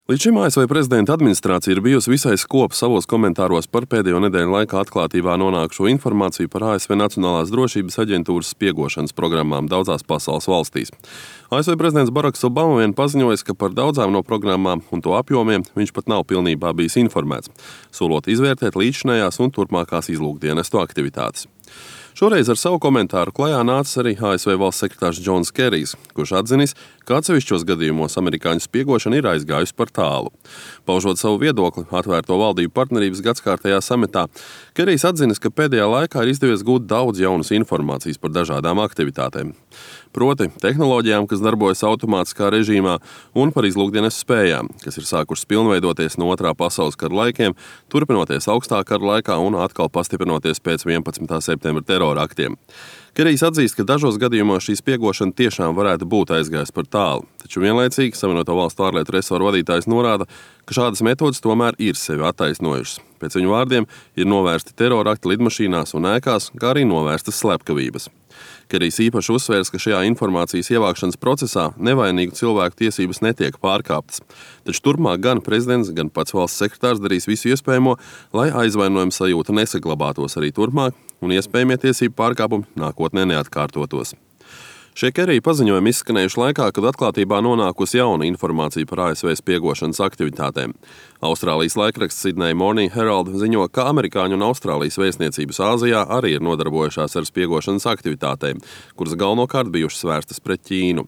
Līdz šim ASV prezidenta administrācija ir bijusi visai skopa savos komentāros par pēdējo nedēļu laikā atklātībā nonākušo informāciju par ASV Nacionālās drošības aģentūras spiegošanas programmām daudzās pasaules valstīs. ASV prezidents Baraks Obama vien paziņojis, ka par daudzām no programmām un to apjomiem viņš pat nav pilnībā bijis informēts, solot izvērtēt līdzinējās un turpmākās izlūkdienestu aktivitātes. Šoreiz ar savu komentāru klajā nācis arī ASV valsts sekretārs Džons Kerijs, kurš atzinis, ka atsevišķos gadījumos amerikāņu spiegošana ir aizgājusi par tālu. Paužot savu viedokli atvērto valdību partnerības gadskārtajā samitā, Kerijs atzinis, ka pēdējā laikā ir izdevies gūt daudz jaunas informācijas par dažādām aktivitātēm. Proti tehnoloģijām, kas darbojas automātiskā režīmā, un par izlūkdienestu spējām, kas ir sākušas pilnveidoties no Otrā pasaules kara laikiem, turpinoties augstā kara laikā un atkal pastiprinoties pēc 11. septembra terora aktiem. Kerijs atzīst, ka dažos gadījumos šī spiegošana tiešām varētu būt aizgājusi par tālu, taču vienlaicīgi Savienoto Valstu ārlietu resoru vadītājs norāda, ka šādas metodas tomēr ir sevi attaisnojušas. Pēc viņu vārdiem ir novērsti terora akti lidmašīnās un ēkās, kā arī novērstas slepkavības. Kerijs īpaši uzsvērs, ka šajā informācijas ievākšanas procesā nevainīgu cilvēku tiesības netiek pārkāptas. Taču turpmāk gan prezidents, gan pats valsts sekretārs darīs visu iespējamo, lai aizvainojuma sajūta nesaglabātos arī turpmāk un iespējamie tiesību pārkāpumi nākotnē neatkārtotos. Šie Kerija paziņojumi izskanējuši laikā, kad atklātībā nonākusi jauna informācija par ASV spiegošanas aktivitātēm. Austrālijas laikraksts Sydney Morning Herald ziņo, ka amerikāņu un Austrālijas vēstniecības Āzijā arī ir nodarbojušās ar spiegošanas aktivitātēm, kuras galvenokārt bijušas vērstas pret Ķīnu.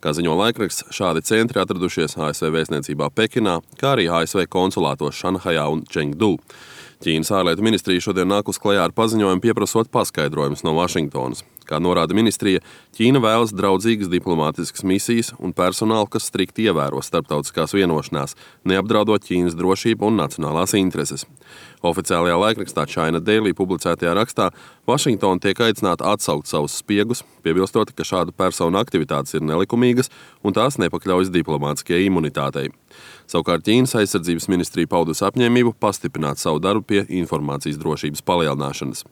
Kā ziņo laikraksts, šādi centri atradušies ASV vēstniecībā Pekinā, kā arī ASV konsulātos Šanhajā un Čengdu. Ķīnas ārlietu ministrija šodien nākus klajā ar paziņojumu pieprasot paskaidrojumus no Vašingtonas. Kā norāda ministrija, Ķīna vēlas draudzīgas diplomātiskas misijas un personālu, kas strikti ievēro starptautiskās vienošanās, neapdraudot Ķīnas drošību un nacionālās intereses. Oficiālajā laikrakstā China Daily publicētajā rakstā Vašingtona tiek aicināta atsaukt savus spiegus, piebilstot, ka šādu personu aktivitātes ir nelikumīgas un tās nepakļaujas diplomātiskajai imunitātei. Savukārt Ķīnas aizsardzības ministrija paudusi apņēmību pastiprināt savu darbu pie informācijas drošības palielināšanas.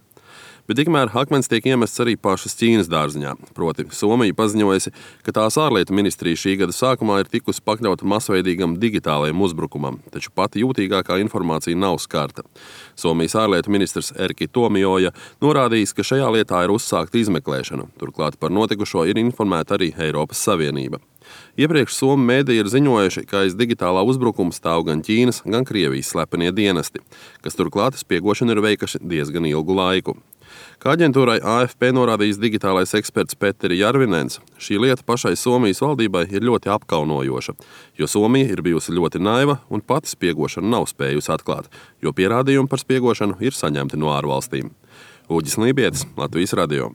Bet tikmēr akmens tiek iemests arī pašas Ķīnas dārziņā. Proti, Somija paziņojusi, ka tās ārlietu ministrija šī gada sākumā ir tikusi pakļauta masveidīgam digitālajam uzbrukumam, taču pati jūtīgākā informācija nav skarta. Somijas ārlietu ministrs Erki Tuomioja norādījis, ka šajā lietā ir uzsākta izmeklēšana. Turklāt par notikušo ir informēta arī Eiropas Savienība. Iepriekš somu mēdīji ir ziņojuši, ka aiz digitālā uzbrukuma stāv gan Ķīnas, gan Krievijas slepenie dienesti, kas turklāt spiegošanu ir veikuši diezgan ilgu laiku. Kā aģentūrai AFP norādījis digitālais eksperts Petteri Järvinens, šī lieta pašai Somijas valdībai ir ļoti apkaunojoša, jo Somija ir bijusi ļoti naiva un pati spiegošanu nav spējusi atklāt, jo pierādījumi par spiegošanu ir saņemti no ārvalstīm. Uģis Lībietis, Latvijas radio.